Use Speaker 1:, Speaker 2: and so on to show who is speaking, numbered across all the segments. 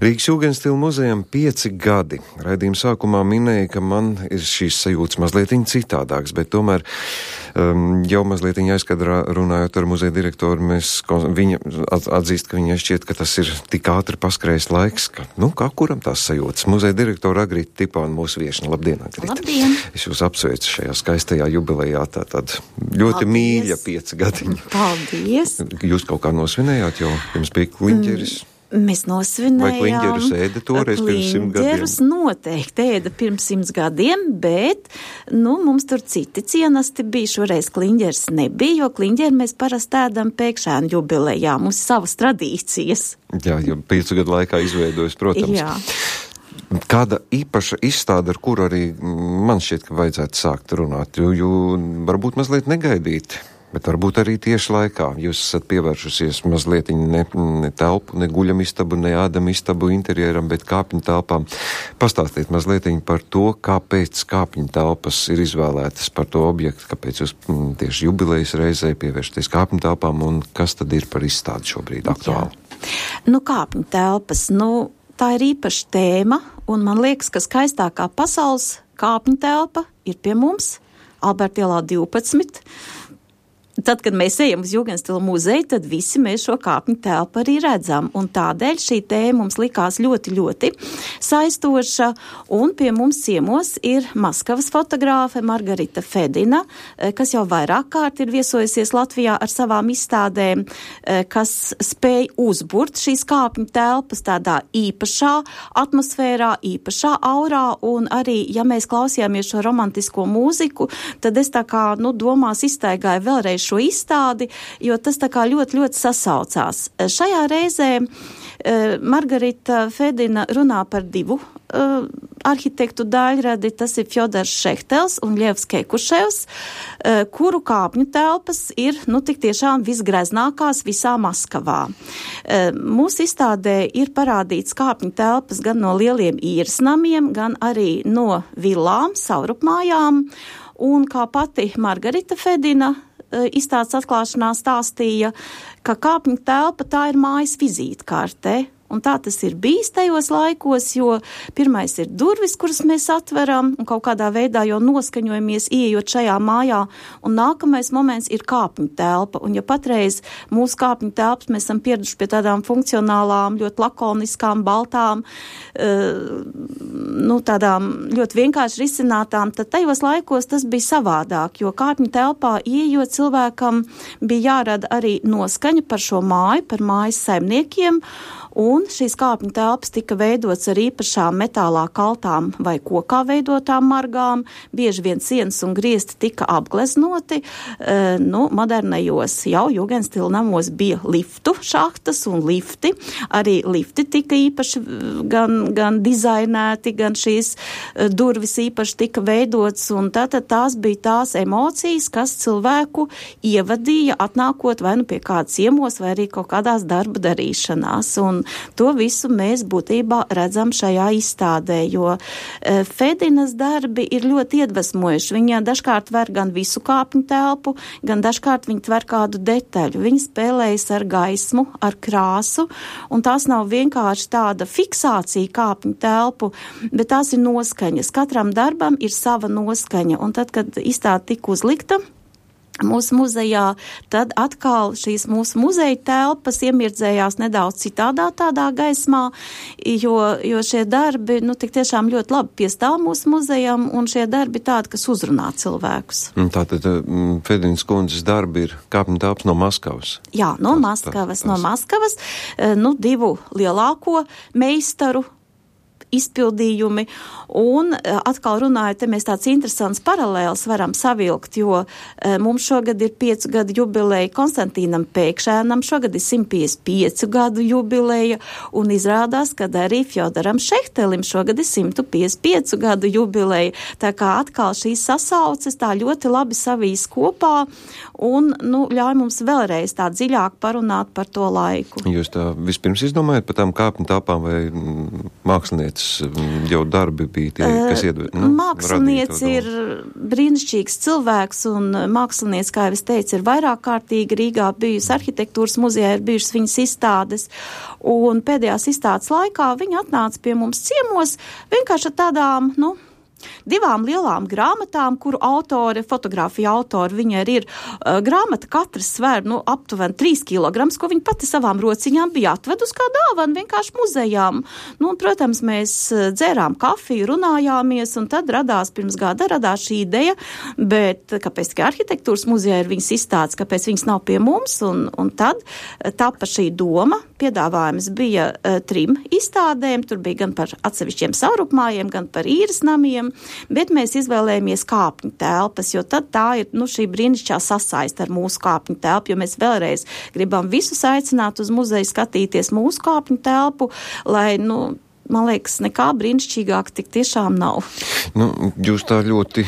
Speaker 1: Rīgas Jūgenstila muzejam 5 gadi. Raidījuma sākumā minēja, ka man ir šīs sajūtas mazliet citādāks, bet tomēr jau mazliet aizkadrā runājot ar muzeja direktoru, viņa atzīst, ka viņai šķiet, ka tas ir tik ātri paskrējis laiks, ka, kā kuram tās sajūtas. Muzeja direktora Agrita Tipāna mūsu viešņa. Labdien, Agrita.
Speaker 2: Labdien.
Speaker 1: Es jūs apsveicu šajā skaistajā jubilejā, tātad ļoti mīļa 5 gadiņa.
Speaker 2: Paldies.
Speaker 1: Jūs kaut kā nosvinējāt, jo jums bija kliņģeris.
Speaker 2: Mēs nosvinējām.
Speaker 1: Vai kliņģerus ēda toreiz pirms 100 gadiem?
Speaker 2: Kliņģerus noteikti ēda pirms 100 gadiem, bet, mums tur citi cienasti bija. Šoreiz kliņģers nebija, jo kliņģeri mēs parasti ēdam pēkšēnu jubilejā. Mums savas tradīcijas.
Speaker 1: Jā, jo 5 gadu laikā izveidojas, protams.
Speaker 2: Jā.
Speaker 1: Kāda īpaša izstāde, ar kuru arī man šķiet, ka vajadzētu sākt runāt, jo varbūt mazliet negaidīti. Bet varbūt arī tieši laikā jūs esat pievēršusies mazliet ne telpu, ne guļamistabu, ne ēdamistabu interjeram, bet kāpņu telpām. Pastāstiet mazliet par to, kāpēc kāpņu telpas ir izvēlētas par to objektu, kāpēc jūs tieši jubilejas reizē pievēršaties kāpņu telpām un kas tad ir par izstādi šobrīd aktuāli?
Speaker 2: Kāpņu telpas, tā ir īpaša tēma, un man liekas, ka skaistākā pasaules kāpņu telpa ir pie mums, Alberta ielā 12. Tad, kad mēs ejam uz Jūgenstila muzeju, tad visi mēs šo kāpņu telpu arī redzam. Un tādēļ šī tēma mums likās ļoti, ļoti saistoša. Un pie mums ciemos ir Maskavas fotogrāfe Margarita Fedina, kas jau vairāk kārt ir viesojusies Latvijā ar savām izstādēm, kas spēj uzburt šīs kāpņu telpas tādā īpašā atmosfērā, īpašā aurā. Un arī, ja mēs klausījāmies šo romantisko mūziku, tad es tā kā, domās izstaigāju vēlreiz šo izstādi, jo tas tā kā ļoti, ļoti sasaucās. Šajā reizē Margarita Fedina runā par 2 arhitektu daļradi, tas ir Fjodors Šehtels un Ļevs Kekuševs, kuru kāpņu telpas ir, tik tiešām visgreznākās visā Maskavā. Mūsu izstādē ir parādīts kāpņu telpas gan no lieliem īres namiem, gan arī no villām, savrupmājām, un kā pati Margarita Fedina izstādes atklāšanā stāstīja, ka kāpņu telpa tā ir mājas vizītkarte. Un tā tas ir bijis tajos laikos, jo pirmais ir durvis, kuras mēs atveram un kaut kādā veidā jau noskaņojamies ieejot šajā mājā, un nākamais moments ir kāpņu telpa. Un ja patreiz mūsu kāpņu telpas mēs esam pieraduši pie tādām funkcionālām, ļoti lakoniskām, baltām, tādām ļoti vienkārši risinātām, tad tajos laikos tas bija savādāk, jo kāpņu telpā ieejot cilvēkam bija jārada arī noskaņa par šo māju, par mājas saimniekiem. Un šīs kāpņu telpas tika veidots ar īpašām metālā kaltām vai kokā veidotām margām. Bieži vien sienas un griesti tika apgleznoti. Modernajos jau Jūgenstila namos bija liftu šahtas un lifti. Arī lifti tika īpaši gan dizainēti, gan šīs durvis īpaši tika veidots. Un tātad tās bija tās emocijas, kas cilvēku ievadīja atnākot vai pie kāda ciemos vai arī kaut kādās darba darīšanās. Un to visu mēs būtībā redzam šajā izstādē, jo Fedinas darbi ir ļoti iedvesmojuši. Viņa dažkārt ver gan visu kāpņu telpu, gan dažkārt viņa tver kādu detaļu. Viņa spēlējas ar gaismu, ar krāsu, un tās nav vienkārši tāda fiksācija kāpņu telpu, bet tās ir noskaņas. Katram darbam ir sava noskaņa, un tad, kad izstāde tika uzlikta mūsu muzejā, tad atkal šīs mūsu muzeja telpas iemirdzējās nedaudz citādā tādā gaismā, jo šie darbi, tik tiešām ļoti labi piestāv mūsu muzejam, un šie darbi tādi, kas uzrunā cilvēkus.
Speaker 1: Tātad Fedinas kundzes darbi ir kāpņu telpas no Maskavas? Jā,
Speaker 2: no Maskavas. 2 lielāko meistaru izpildījumi, un atkal runājot, te mēs tāds interesants paralēls varam savilkt, jo mums šogad ir 5 gadu jubileja Konstantīnam Pēkšēnam, šogad ir 155 gadu jubileja, un izrādās, ka arī Fjodoram Šehtelim šogad ir 155 gadu jubileja. Tā kā atkal šīs sasauces tā ļoti labi savīs kopā, un ļauj mums vēlreiz tā dziļāk parunāt par to laiku.
Speaker 1: Jūs tā vispirms izdomājat par tām kāpņu telpām vai mākslinieci kādas jau darbi bija tie, kas
Speaker 2: Mākslinieci ir brīnišķīgs cilvēks, un mākslinieci, kā jau es teicu, ir vairāk kārtīgi Rīgā bijusi arhitektūras muzejā, ir bijušas viņas izstādes, un pēdējās izstādes laikā viņi atnāca pie mums ciemos vienkārši ar tādām, divām lielām grāmatām, kuru fotogrāfija autori, viņai ir grāmata, katrs svēr, aptuveni 3 kilograms, ko viņa pati savām rociņām bija atvedus kā dāvanu vienkārši muzejām. Un, protams, mēs dzērām kafiju, runājāmies, un tad pirms gada radās šī ideja, bet kāpēc tikai arhitektūras muzejā ir viņas izstādes, kāpēc viņas nav pie mums, un tad tapa šī doma, piedāvājums bija 3 izstādēm, tur bija gan par atsevišķiem savrupmājiem, gan par īres namiem, bet mēs izvēlējāmies kāpņu telpas, jo tad tā ir šī brīnišķīgā sasaiste ar mūsu kāpņu telpu, jo mēs vēlreiz gribam visus aicināt uz muzeju skatīties mūsu kāpņu telpu, lai, man liekas, nekā brīnišķīgāk tik tiešām nav.
Speaker 1: Jūs tā ļoti,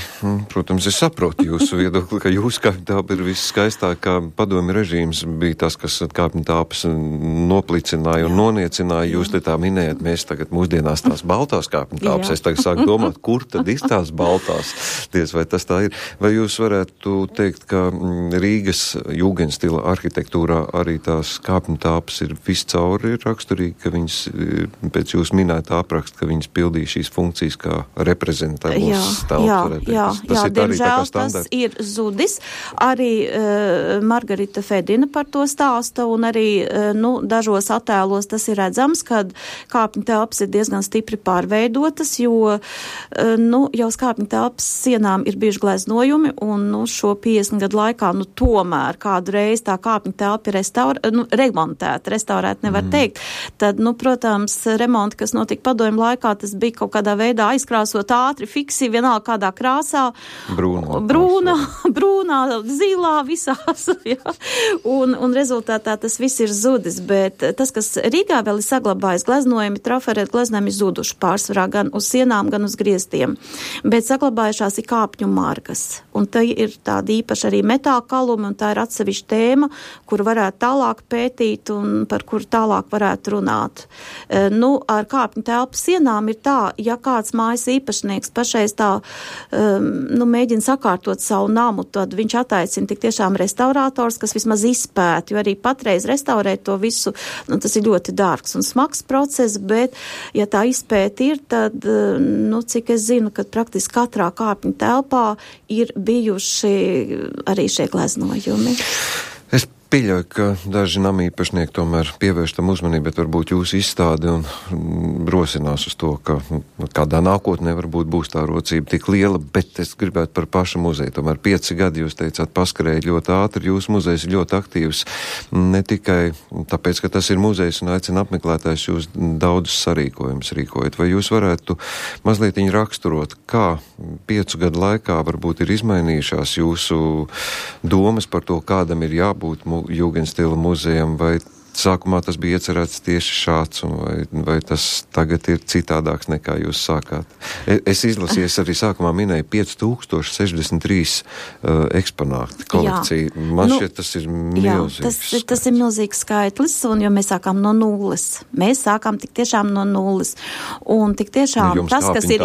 Speaker 1: protams, es saprotu jūsu viedokli, ka jūsu kāpņu telpa ir visskaistākā. Padomju režīms bija tas, kas kāpņu telpas noplicināja un noniecināja. Jūs te tā minējat, mēs tagad mūsdienās tās baltās kāpņu telpas. Es tagad sāku domāt, kur tad ir tās baltās. Vai tas tā ir? Vai jūs varētu teikt, ka Rīgas jūgenstila arhitektūrā arī tās kāpņu telpas ir viscauri raksturīgi, ka viņas pēc jūs minēta apraksta, ka viņas pildīja šīs funkcijas kā reprezentābls telpa.
Speaker 2: Jā, diemžēl tas ir zudis. Arī Margarita Fedina par to stāsta, un arī dažos attēlos tas ir redzams, kad kāpņu telpas ir diezgan stipri pārveidotas, jo jau uz kāpņu telpas sienām ir bijuši gleznojumi, un šo 50 gadu laikā tomēr kādu reizi tā kāpņu telpa ir remontēta, restaurēta nevar teikt. Tad, protams, remonti, kas notika padomju laikā, tas bija kaut kādā veidā aizkrāsot ātri, fiksi, vienalga kādā krāsā. Brūnā, zilā, visās. Ja? Un rezultātā tas viss ir zudis, bet tas, kas Rīgā vēl ir saglabājis, gleznojumi, trafarēti gleznojumi zuduši pārsvarā gan uz sienām, gan uz griestiem. Bet saglabājušās ir kāpņu margas. Un tā ir tāda īpaša arī metāla kaluma, un tā ir atsevišķa tēma, kur varētu tālāk pētīt un par kuru tālāk varētu runāt. Ar kāpņu telpu sienām ir tā, ja kāds mājas īpašnieks pašreiz tā mēģina sakārtot savu namu, tad viņš attaicina tik tiešām restaurātors, kas vismaz izpēt, jo arī patreiz restaurēt to visu, tas ir ļoti dārgs un smags process, bet ja tā izpēta ir, tad, cik es zinu, ka praktiski katrā kāpņu telpā ir bijuši arī šie gleznojumi.
Speaker 1: Es pieļauju, ka daži namīpašnieki tomēr pievērš tam uzmanību, bet varbūt jūs izstādi un rosinās uz to, ka kādā nākotnē varbūt būs tā rocība tik liela, bet es gribētu par pašu muzeju. Tomēr 5 gadi, jūs teicāt, paskrēja ļoti ātri, jūsu muzejs ir ļoti aktīvs, ne tikai tāpēc, ka tas ir muzejs un aicina apmeklētājs, jūs daudzus sarīkojumus rīkojat. Vai jūs varētu mazliet raksturot, kā 5 gadu laikā varbūt ir izmainījušās jūsu domas par to, kādam ir jābūt Jūgenstila muzejam, vai sākumā tas bija iecerēts tieši šāds, vai tas tagad ir citādāks nekā jūs sākāt? Es izlasīju, arī sākumā minēju 5063 eksponāti kolekcija. Man šķiet, tas ir milzīgs. Jā,
Speaker 2: tas ir milzīgs skaitlis, un jo mēs sākām no nulles. Mēs sākām tik tiešām no nulles. Un tik tiešām tas, kas ir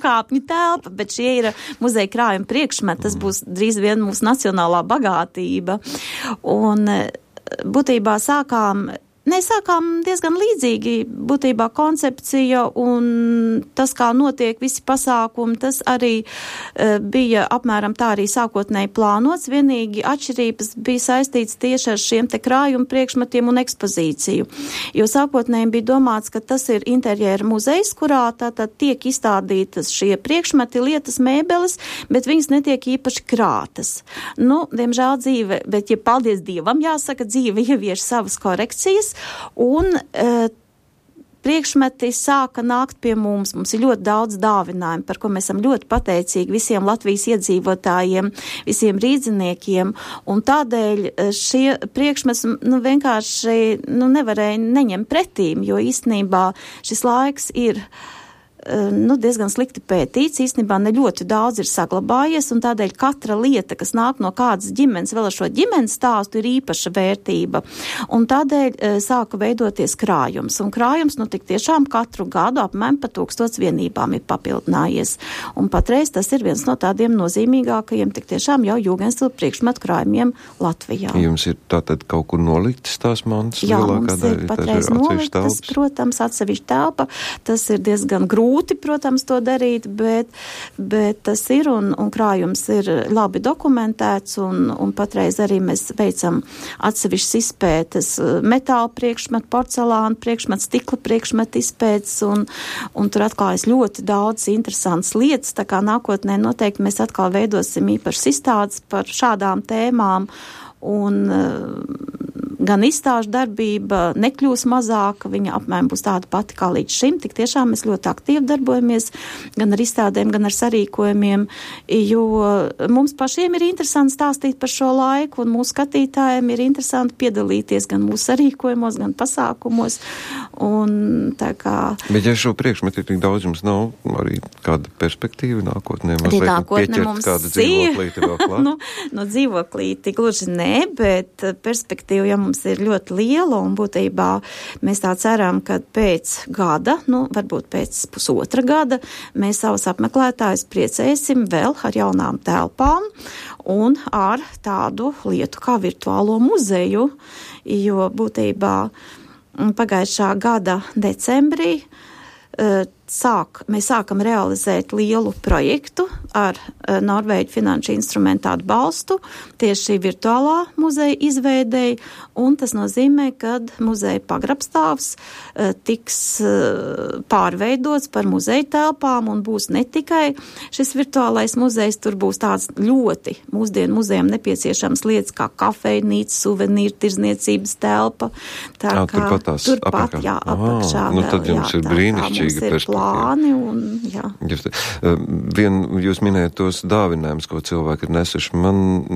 Speaker 2: kāpņu telpa, bet šie ir muzeja krājuma priekšmeti, tas būs drīz vien mūsu nacionālā bagātība. Un būtībā sākām diezgan līdzīgi, būtībā koncepcija un tas, kā notiek visi pasākumi, tas arī bija apmēram tā arī sākotnēji plānots, vienīgi atšķirības bija saistīts tieši ar šiem te krājumu priekšmetiem un ekspozīciju. Jo sākotnēji bija domāts, ka tas ir interjera muzejs, kurā tātad tiek izstādītas šie priekšmeti, lietas, mēbeles, bet viņas netiek īpaši krātas. Diemžēl dzīve, bet ja paldies Dievam, jāsaka, dzīve ievieš savas korekcijas, un priekšmeti sāka nākt pie mums. Mums ir ļoti daudz dāvinājumu, par ko mēs esam ļoti pateicīgi visiem Latvijas iedzīvotājiem, visiem rīdziniekiem, un tādēļ šie priekšmeti vienkārši nevarēja neņemt pretīm, jo īstenībā šis laiks ir diezgan slikti pētīts, īstenībā ne ļoti daudz ir saglabājies, un tādēļ katra lieta, kas nāk no kādas ģimenes, vēl ar šo ģimenes stāstu, ir īpaša vērtība. Un tādēļ sāka veidoties krājums. Un krājums, tik tiešām katru gadu apmēram pa 1000 vienībām ir papildinājies. Un patreiz tas ir viens no tādiem nozīmīgākajiem, tik tiešām jau jūgenstila priekšmetu krājumiem Latvijā.
Speaker 1: Jums ir tātad kaut kur noliktas tās mantas?
Speaker 2: Jā, mums ir patreiz noliktas, protams, atsevišķa telpa. Tas ir diezgan grūti, protams, to darīt, bet tas ir un krājums ir labi dokumentēts un patreiz arī mēs veicam atsevišķas izpētes metāla priekšmetu, porcelāna priekšmetu, stikla priekšmetu izpētes un tur atklājas ļoti daudz interesantas lietas, tā kā nākotnē noteikti mēs atkal veidosim īpašas izstādes par šādām tēmām un gan izstāžu darbība nekļūs mazāka, viņa apmēram būs tāda pati kā līdz šim. Tik tiešām mēs ļoti aktīvi darbojamies gan ar izstādēm, gan ar sarīkojumiem, jo mums pašiem ir interesanti stāstīt par šo laiku, un mūsu skatītājiem ir interesanti piedalīties gan mūsu sarīkojumos, gan pasākumos. Un tā kā...
Speaker 1: Bet ja šo priekšmetu ir tik daudz, jums nav arī kāda perspektīva nākotnē?
Speaker 2: Nākotnē mums
Speaker 1: kādu dzīvoklīti vēl klāt?
Speaker 2: Dzīvoklīti gluži nē, bet perspektīva, ja mums ir ļoti liela, un būtībā mēs tā ceram, ka pēc gada, varbūt pēc pusotra gada, mēs savus apmeklētājus priecēsim vēl ar jaunām telpām un ar tādu lietu kā virtuālo muzeju, jo būtībā pagājušā gada decembrī mēs sākam realizēt lielu projektu ar Norvēģu finanšu instrumentu atbalstu tieši šī virtuālā muzeja izveidei, un tas nozīmē, ka muzeja pagrabstāvs tiks pārveidots par muzeja telpām un būs ne tikai šis virtuālais muzejs, tur būs tāds ļoti mūsdienu muzejam nepieciešams lietas kā kafejnīca, suvenīru tirzniecības telpa.
Speaker 1: Turpat tās apakšā.
Speaker 2: Jā, apakšā.
Speaker 1: Tad jums ir brīnišķīga perspektīva.
Speaker 2: Plāni un, jā.
Speaker 1: Jūs minējat tos dāvinājumus, ko cilvēki ir nesuši.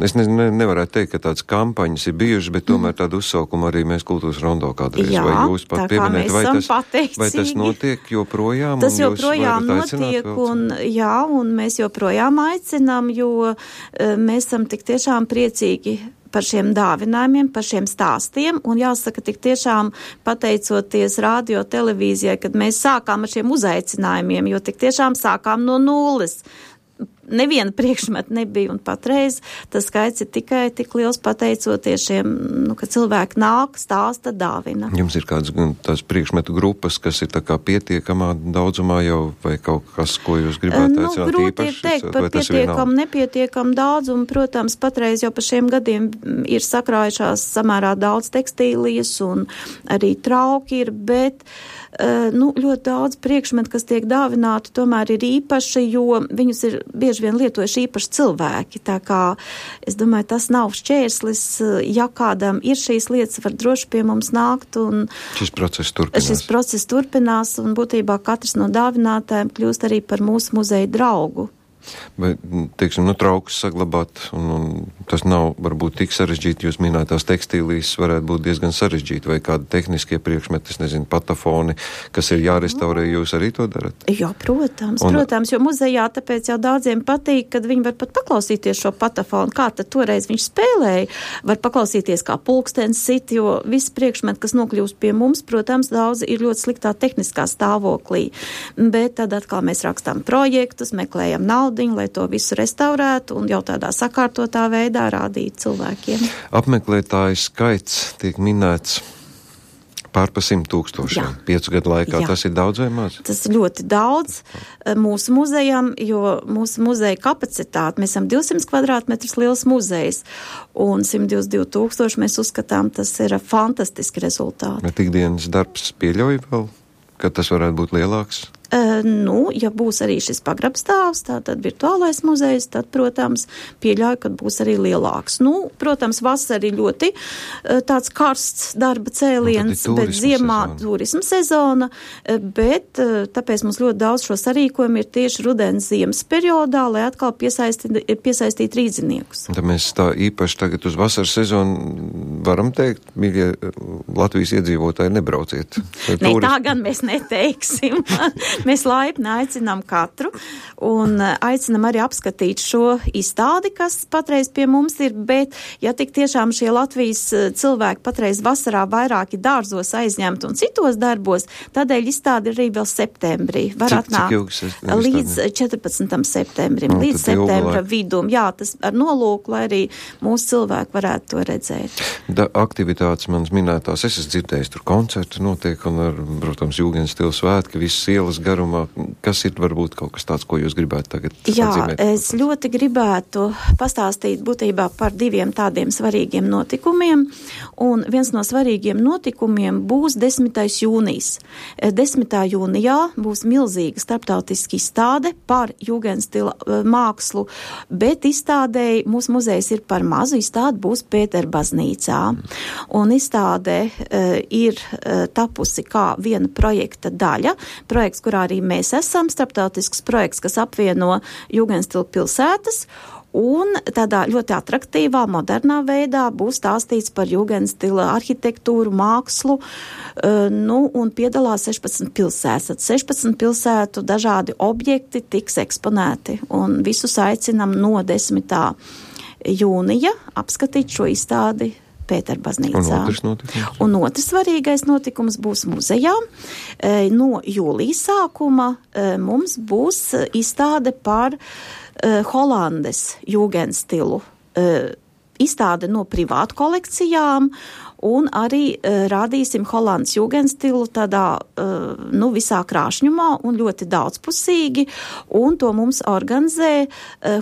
Speaker 1: Es nevarētu teikt, ka tādas kampaņas ir bijušas, bet tomēr tādu uzsaukumu arī mēs kultūras rondo kādreiz.
Speaker 2: Jā,
Speaker 1: vai jūs pat pieminēt, vai tas notiek joprojām?
Speaker 2: Tas joprojām notiek, un mēs joprojām aicinām, jo mēs esam tik tiešām priecīgi par šiem dāvinājumiem, par šiem stāstiem, un jāsaka, tik tiešām pateicoties radio televīzijai, kad mēs sākām ar šiem uzaicinājumiem, jo tik tiešām sākām no nulles. Neviena priekšmeta nebija, un patreiz tas skaits ir tikai tik liels pateicoties šiem, ka cilvēki nāk, stāsta, dāvina.
Speaker 1: Jums ir kādas tās priekšmetu grupas, kas ir tā kā pietiekamā daudzumā jau, vai kaut kas, ko jūs gribētu aicināt īpaši?
Speaker 2: Grūti teikt par pietiekam, nepietiekam daudzumu. Protams, patreiz jau par šiem gadiem ir sakrājušās samērā daudz tekstīlijas un arī trauki ir, bet ļoti daudz priekšmetu, kas tiek dāvināti, tomēr ir īpaši, jo viņus ir bieži vien lietojuši īpaši cilvēki. Tā kā, es domāju, tas nav šķērslis, ja kādam ir šīs lietas, var droši pie mums nākt. Un
Speaker 1: šis process
Speaker 2: turpinās, un būtībā katrs no dāvinātājiem kļūst arī par mūsu muzeja draugu.
Speaker 1: Bet, teiksim, traukus saglabāt, un tas nav varbūt tik sarežģīti, jūs minētās tekstīlijas varētu būt diezgan sarežģīti, vai kādi tehniskie priekšmeti, es nezinu, patafoni, kas ir jārestaurē, jūs arī to darat?
Speaker 2: Jā, protams, jo muzejā tāpēc jau daudziem patīk, kad viņi var pat paklausīties šo patafonu, kā tad toreiz viņš spēlēja, var paklausīties kā pulkstens sit, jo visi priekšmeti, kas nokļūst pie mums, protams, daudz ir ļoti sliktā tehniskā stāvoklī, bet tad atkal mēs rakstām projektus, meklējam naudu, lai to visu restaurētu un jau tādā sakārtotā veidā rādīt cilvēkiem.
Speaker 1: Apmeklētāju skaits tiek minēts pār pa 100,000 5 gadu laikā. Jā. Tas ir daudz vai maz?
Speaker 2: Tas ir ļoti daudz mūsu muzejam, jo mūsu muzeja kapacitāte, mēs esam 200 kvadrātmetrus liels muzejs, un 122,000 mēs uzskatām, tas ir fantastiski rezultāti.
Speaker 1: Bet ikdienas darbs pieļauj vēl, ka tas varētu būt lielāks?
Speaker 2: Ja būs arī šis pagrabstāvs, tātad virtuālais muzejs, tad, protams, pieļauj, ka būs arī lielāks. Protams, vasarī ļoti tāds karsts darba cēliens, bet ziemā turisma sezona, bet tāpēc mums ļoti daudz šo sarīkojumu ir tieši rudens ziemas periodā, lai atkal piesaistīt rīdziniekus.
Speaker 1: Tad mēs tā īpaši tagad uz vasaras sezonu varam teikt, mīļie Latvijas iedzīvotāji, nebrauciet.
Speaker 2: Ne, tā gan mēs neteiksim. Mēs laipni aicinām katru un aicinām arī apskatīt šo izstādi, kas patreiz pie mums ir, bet ja tik tiešām šie Latvijas cilvēki patreiz vasarā vairāki dārzos aizņemt un citos darbos, tādēļ izstādi arī vēl septembrī. Var atnākt līdz 14. septembrim, līdz septembra vidum. Jā, tas ar nolūku, lai arī mūsu cilvēki varētu to redzēt.
Speaker 1: Aktivitātes manas minētās, es esmu dzirdējis, tur koncerti notiek un ar, protams, Jūgenstila svētki, visas ielas garumā. Kas ir varbūt kaut kas tāds, ko jūs gribētu tagad atzīmēt?
Speaker 2: Jā, es ļoti gribētu pastāstīt būtībā par diviem tādiem svarīgiem notikumiem, un viens no svarīgiem notikumiem būs 10. jūnijas. 10. jūnijā būs milzīga starptautiska izstāde par Jūgenstila mākslu, bet izstādēji mūsu muzejs ir par mazu, izstāde būs Pēterbaznīcā. Un izstāde ir tapusi kā viena projekta daļa. Projekts, kurā arī mēs esam, starptautisks projekts, kas apvieno Jūgenstila pilsētas. Un tādā ļoti atraktīvā, modernā veidā būs stāstīts par Jūgenstila arhitektūru, mākslu, un piedalās 16 pilsētas. 16 pilsētu dažādi objekti tiks eksponēti, un visus aicinam no 10. jūnija apskatīt šo izstādi Pēterbaznīcā. Un otrs svarīgais notikums būs muzejā. No jūlijas sākuma mums būs izstāde par Holandes Jūgenstilu. Izstāde no privātu kolekcijām, un arī rādīsim Holandas Jūgenstilu tādā, visā krāšņumā un ļoti daudzpusīgi, un to mums organizē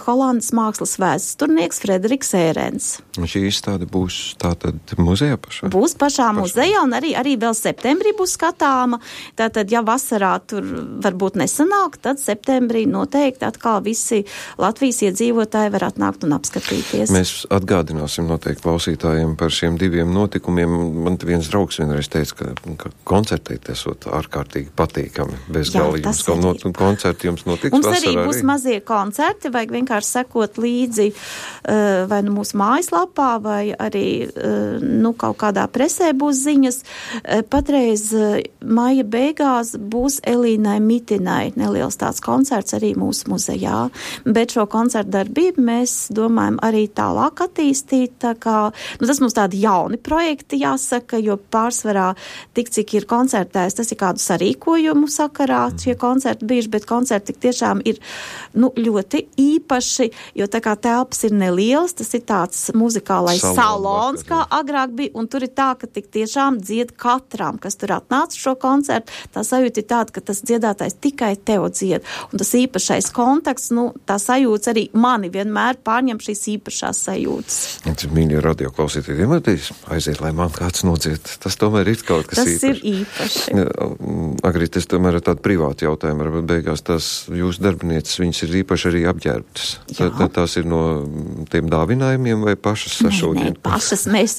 Speaker 2: Holandas mākslas vēsturnieks Frederiks Ērens.
Speaker 1: Un šī izstāde būs tātad muzejā pašā?
Speaker 2: Būs pašā muzejā, un arī vēl septembrī būs skatāma. Tātad, ja vasarā tur varbūt nesanāk, tad septembrī noteikti atkal visi Latvijas iedzīvotāji var atnākt un apskatīties.
Speaker 1: Mēs atgādināsim noteikti klausītājiem par šiem diviem notikumiem. Man viens draugs vienreiz teica, ka koncertēt esot ārkārtīgi patīkami. Bezgalīgi jums koncerti jums notiks
Speaker 2: mums
Speaker 1: vasarā
Speaker 2: arī. Mums arī būs mazie koncerti, vajag vienkārši sekot līdzi vai nu mūsu mājaslapā, vai arī kaut kādā presē būs ziņas. Patreiz maija beigās būs Elīnai Mitinai neliels tāds koncerts arī mūsu muzejā. Bet šo koncertu darbību mēs domājam arī tālāk attīstīt. Tā kā, tas mums tādi jauni projekti jāsaka, jo pārsvarā tik, cik ir koncertēs, tas ir kādu sarīkojumu sakarā šie koncerti bijuši, bet koncerti tik tiešām ir ļoti īpaši, jo tā kā telpas ir nelielas, tas ir tāds muzikālais salons, kā agrāk bija, un tur ir tā, ka tik tiešām dzied katram, kas tur atnāca šo koncertu, tā sajūta ir tāda, ka tas dziedātājs tikai tev dzied, un tas īpašais kontakts, tā sajūta arī mani vienmēr pārņem šīs īpašās sajūtas.
Speaker 1: Mīļie radioklausītāji, vienmēr aiziet, lai man kāds nodzied. Tas tomēr ir kaut kas īpaši.
Speaker 2: Tas ir īpaši.
Speaker 1: Agrīt, tas tomēr ir tāda privāta jautājuma, varbūt beigās tās jūsu darbinieces, viņas ir īpaši arī apģērbtas. Tās ir no tiem dāvinājumiem vai pašas sašūdien?
Speaker 2: Nē, pašas mēs.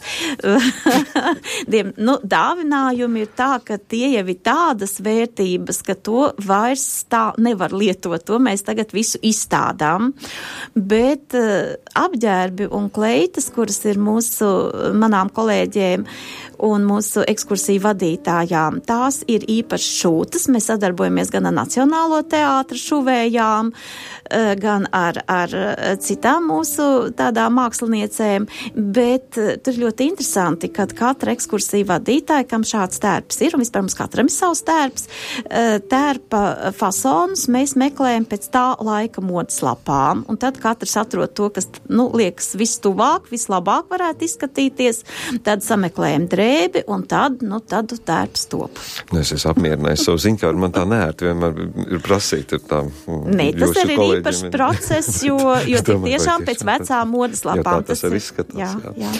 Speaker 2: Dāvinājumi ir tā, ka tie jau ir tādas vērtības, ka to vairs tā nevar lietot. To mēs tagad visu izstādām. Bet apģērbi un kleitas, kuras ir manām kolēģiem un mūsu ekskursiju vadītājām, tās ir īpaši šūtas. Mēs sadarbojamies gan ar Nacionālo teātra šuvējām, gan ar citām mūsu tādām māksliniecēm, bet tur ļoti interesanti, kad katra ekskursija vadītāja, kam šāds tērps ir, un vispār mums katram ir savs tērps, tērpa fasonus mēs meklējam pēc tā laika modes lapām, un tad katrs atrod to, kas, liekas vistuvāk, vislabāk varētu izskatīties, tad sameklējam drēbi, un tad tērps top.
Speaker 1: Es esmu apmierinājis savu ziņkāru, man tā neērti vienmēr ir prasīt ar tām
Speaker 2: tas arī ir īpašs process, jo tik tiešām pēc vecām modes lapām.
Speaker 1: Jā, tas arī izskatās.
Speaker 2: Jā.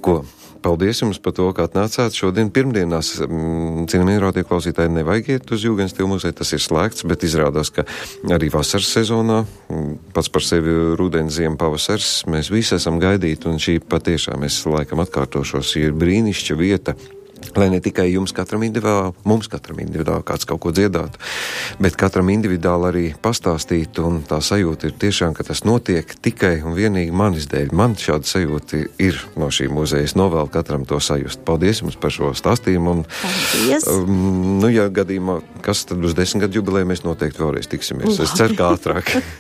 Speaker 1: Ko? Paldies jums par to, ka atnācāt šodien pirmdienās. Cienījamie radioklausītāji, nevajag iet uz Jūgenstila muzeju, tas ir slēgts, bet izrādās, ka arī vasaras sezonā, pats par sevi rudens, ziema, pavasars, mēs visi esam gaidīti, un šī patiešām, es laikam atkārtošos, ir brīnišķa vieta Lai ne tikai jums katram individuāli, mums katram individuāli kāds kaut ko dziedātu, bet katram individuāli arī pastāstītu, un tā sajūta ir tiešām, ka tas notiek tikai un vienīgi manis dēļ. Man šāda sajūta ir no šī muzeja. Es novēlu katram to sajust. Paldies jums par šo stāstījumu. Un, ja gadījumā, kas tad uz 10 gadu jubilēju, mēs noteikti vēlreiz tiksimies. Es ceru, ka ātrāk.